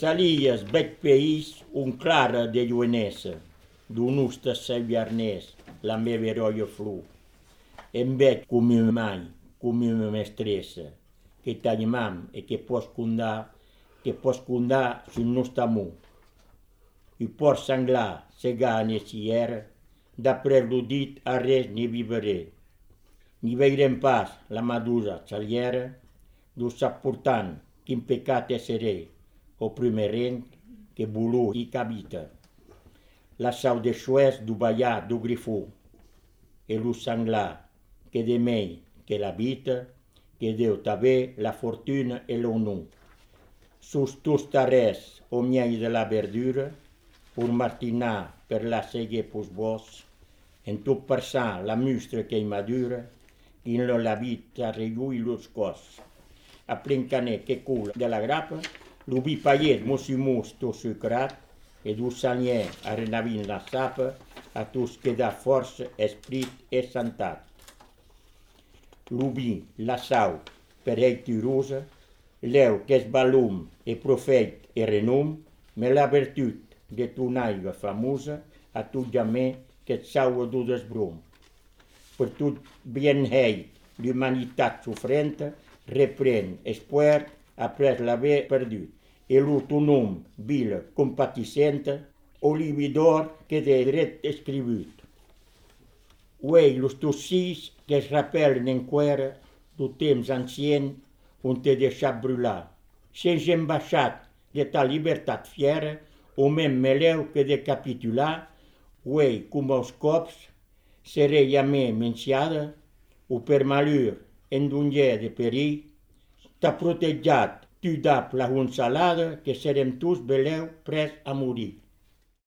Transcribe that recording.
Salies bec país un clara de lluenesa, d'un usta saviarnès, la meva heroia flu. Em bec come mai, come una mestressa, che t'animam e che pos condar sul nostre amor. I por sanglar, segar nessiera, d'après lo dit a res ni viveré. Ni veirem pas la madusa saliera, du s'apportant quin pecat esseré, o primerent que volú i qu'habita. La sau de xuès du ballar du grifó, e lo sanglar que de mei que l'habita, que Déu t'ave la fortuna e l'honor. Sus tus tarès o miei de la verdura, pur martinar per la segue pus vos, en tot persar la mustra que hi madura, in la vita reiui los cos. A plincaner que cul de la grapa, lo vi paiet mosimus to sucrat, e du salier a renavin la sapa, a tus que da força, esprit e santat. Lo vi la sau per ei tirosa, l'eu qu'es balum e profeit e renom, me la vertut de ton aiga famosa, a tot jamè qu'et saua du desbrom. Per tot bien hei l'humanitat sofrenta, repren espoir après l'haver perdut, e lo ton nom vila compatissenta, olividor que de dret escrivut. Uei los tus sis que es rappellen enquera do temps ancien on te deixat brular. S'es embaixat de ta libertat fiera, o mem meleu que de capitular, uei, com els cops, seré jamè menciada, o per malheur en d'un lhe de perill, t'ha protejat tu dap la honsalada que serem tous beleu pres a morir.